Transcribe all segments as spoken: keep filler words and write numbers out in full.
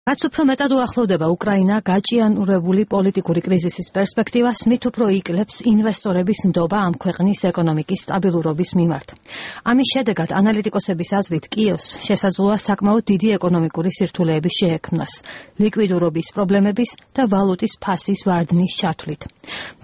რაც უფრო მეტად უახლოვდება უკრაინა გაჭიანურებული პოლიტიკური კრიზისის პერსპექტივას, მით უფრო იკლებს ინვესტორების ნდობა ამ ქვეყნის ეკონომიკის სტაბილურობის მიმართ. ამის შედეგად ანალიტიკოსების აზრით კიევს შესაძლოა საკმაოდ დიდი ეკონომიკური სირთულეების შეექმნას, ლიკვიდურობის პრობლემების და ვალუტის ფასის ვარდნის ჩათვლით.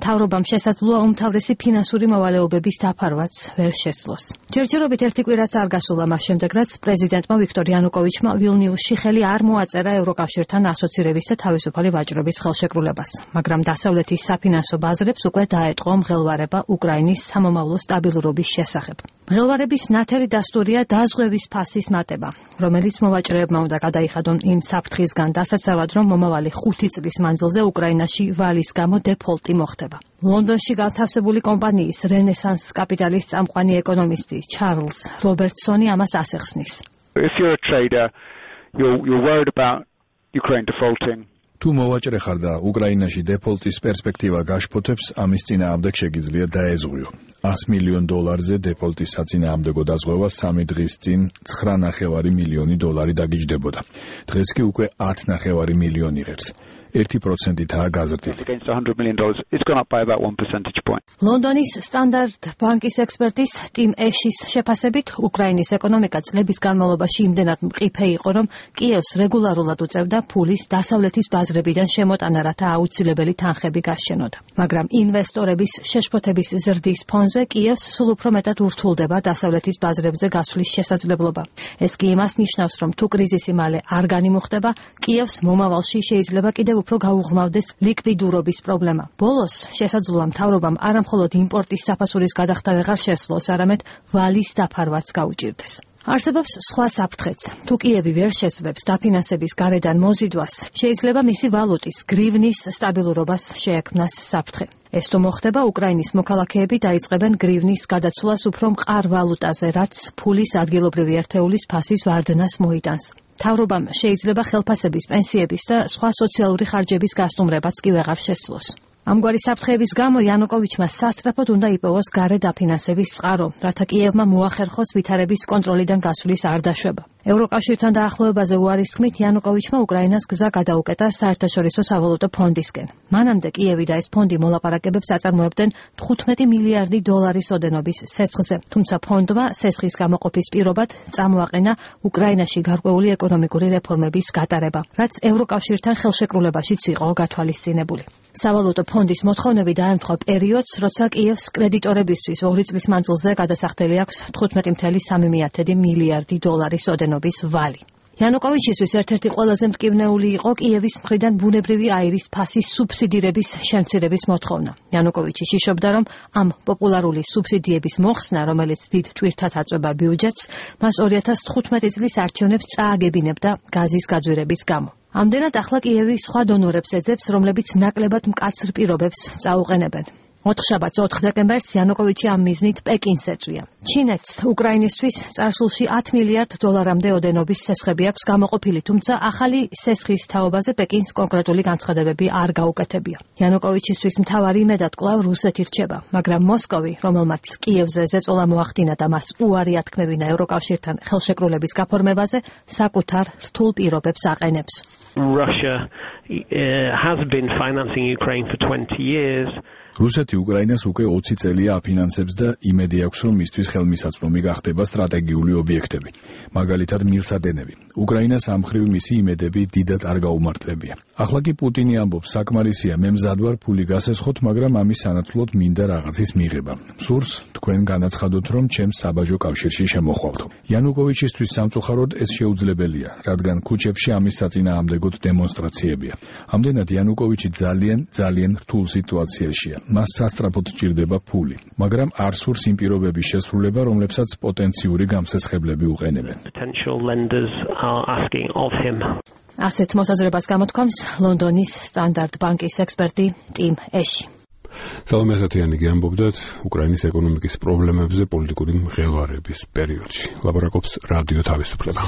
მთავრობამ შესაძლოა უმთავრესი ფინანსური მოვალეობების დაფარვაც ვერ შესძლოს. ჯერჯერობით ერთი კვირაც არ გასულა მას შემდეგ, რაც პრეზიდენტმა ვიქტორ იანუკოვიჩმა ვილნიუსში ხელი არ მოაწერა ევროკავშირთან ასოცირების და თავისუფალი ვაჭრობის ხელშეკრულებას, მაგრამ დასავლეთის საფინანსო ბაზრებს უკვე დაეტყო მღელვარება უკრაინის სამომავლო სტაბილურობის შესახებ. მღელვარების ნათელი დასტურია დაზღვევის ფასის მატება, რომელიც მოვაჭრეებმა უნდა გადაიხადონ იმ საფრთხისგან დასაცავად, რომ მომავალი ხუთი წლის მანძილზე უკრაინაში ვალის გამო დეფოლტი მოხდება. ლონდონში განთავსებული კომპანიის რენესანს კაპიტალის წამყვანი ეკონომისტი ჩარლზ რობერტსონი ამას ასახსნის. If you're a trader, you're, you're worried about Ukraine defaulting. თუ მოვაჭრე ხარ და უკრაინაში დეფოლტის პერსპექტივა გაშფოთებს, ამის წინააღმდეგ შეგიძლია დაეზღვიო. ას მილიონ დოლარზე დეფოლტის საწინააღმდეგო დაზღვევა სამი დღის წინ ცხრა ნახევარი მილიონი დოლარი დაგიჯდებოდა. დღეს კი უკვე ათი ნახევარი მილიონი იღებს. ერთი პროცენტითაა გაზრდილი. ლონდონის სტანდარტ ბანკის ექსპერტის ტიმ ეშის შეფასებით, უკრაინის ეკონომიკა წლების განმავლობაში იმდენად მყიფე იყო, რომ კიევს რეგულარულად უწევდა ფულის დასავლეთის ბაზრებიდან შემოტანა, რათა აუცილებელი თანხები გასჩენოდა. მაგრამ ინვესტორების შეშფოთების ზრდის ფონზე კიევს სულ უფრო მეტად ურთულდება დასავლეთის ბაზრებზე გასვლის შესაძლებლობა. ეს კი იმას ნიშნავს, რომ თუ კრიზისი მალე არ განიმუხტება, კიევს მომავალში შეიძლება კიდევ უფრო გაუღრმავდეს ლიკვიდურობის პრობლემა. ბოლოს შესაძლოა მთავრობამ არამხოლოდ იმპორტის საფასურის გადახდა ვეღარ შესძლოს, არამედ ვალის დაფარვაც გაუჭირდეს. არსებობს სხვა საფრთხეც. თუ კიევი ვერ შესძლებს დაფინანსების გარედან მოზიდვას, შეიძლება მისი ვალუტის გრივნის სტაბილურობას შეექმნას საფრთხე. ეს თუ მოხდება, უკრაინის მოქალაქეები დაიწყებენ გრივნის გადაცვლას უფრო მყარ ვალუტაზე, რაც ფულის ადგილობრივი ერთეულის ფასის ვარდნას მოიტანს. მთავრობამ შეიძლება ხელფასების, პენსიების და სხვა სოციალური ხარჯების გასტუმრებაც კი ვეღარ შესძლოს. ამგვარი საფრთხეების გამო იანუკოვიჩმა სასწრაფოდ უნდა იპოვოს გარე დაფინანსების წყარო, რათა კიევმა მოახერხოს ვითარების კონტროლიდან გასვლის არ დაშვება. ევროკავშირთან დაახლოებაზე უარისხმით იანუკოვიჩმა უკრაინას გზა გადაუკეტა საერთაშორისო სავალუტო ფონდისკენ. მანამდე კიევი და ეს ფონდი მოლაპარაკებებს აწარმოებდნენ თხუთმეტი მილიარდი დოლარის ოდენობის სესხზე, თუმცა ფონდმა სესხის გამოყოფის პირობად წამოაყენა უკრაინაში გარკვეული ეკონომიკური რეფორმების გატარება, რაც ევროკავშირთან ხელშეკრულებაშიც იყო გათვალისწინებული. სავალუტო ფონდის მოთხოვნები დაემთხვა პერიოდს, როცა კიევს კრედიტორებისთვის ორი წლის მანძილზე გადასახდელი აქვს თხუთმეტი მცდელო სამი მილიარდი დოლარის ოდენობის ვალი. იანუკოვიჩისთვის ერთ-ერთი ყველაზე მტკივნეული იყო კიევის მხრიდან ბუნებრივი აირის ფასის სუბსიდირების შემცირების მოთხოვნა. იანუკოვიჩი შიშობდა, რომ ამ პოპულარული სუბსიდიების მოხსნა, რომელიც დიდ ტვირთად აწვება ბიუჯეტს, მას ორი ათას თხუთმეტი წლის არჩევნებს წააგებინებდა გაზის გაძვირების გამო. ამდენად ახლა კიევი სხვა დონორებს ეძებს, რომლებიც ნაკლებად მკაცრ პირობებს წაუყენებენ. ოთხშაბათს ოთხ დეკემბერს იანუკოვიჩი ამ მიზნით პეკინს ეწვია. ჩინეთს უკრაინისთვის წარსულში ათი მილიარდ დოლარამდე ოდენობის სესხები აქვს გამოყოფილი, თუმცა ახალი სესხის თაობაზე პეკინს კონკრეტული განცხადებები არ გაუკეთებია. იანუკოვიჩისთვის მთავარი იმედად კვლავ რუსეთი რჩება, მაგრამ მოსკოვი, რომელმაც კიევზე ზეწოლა მოახდინა და მას უარი ათქმევინა ევროკავშირთან ხელშეკრულების გაფორმებაზე, საკუთარ რთულ პირობებს აყენებს. Russia has been financing Ukraine for twenty years. რუსეთი უკრაინას უკვე ოცი წელია აფინანსებს და იმედი აქვს, რომ მისთვის ხელმისაწვდომი გახდება სტრატეგიული ობიექტები, მაგალითად მილსადენები. უკრაინას ამ მხრივ მისი იმედები დიდად არ გაუმართლებია. ახლა კი პუტინი ამბობს, საკმარისია, მე მზად ვარ ფული გასესხოთ, მაგრამ ამის სანაცვლოდ მინდა რაღაცის მიღება. სურს თქვენ განაცხადოთ, რომ ჩემს საბაჟო კავშირში შემოხვალთო. იანუკოვიჩისთვის სამწუხაროდ ეს შეუძლებელია, რადგან ქუჩებში ამის საწინააღმდეგოდ დემონსტრაციებია. ამდენად იანუკოვიჩი ძალიან, ძალიან რთულ სიტუაციაშია. მას სასწრაფოდ სჭირდება ფული, მაგრამ არ სურს იმ პირობების შესრულება, რომლებსაც პოტენციური გამსესხებლები უყენებენ. ასეთ მოსაზრებას გამოთქვამს ლონდონის სტანდარტ ბანკის ექსპერტი ტიმ ეში. სალომე ასათიანი ამბობდათ უკრაინის ეკონომიკის პრობლემებზე პოლიტიკური მღელვარების პერიოდში. ლაპარაკობს რადიო თავისუფლება.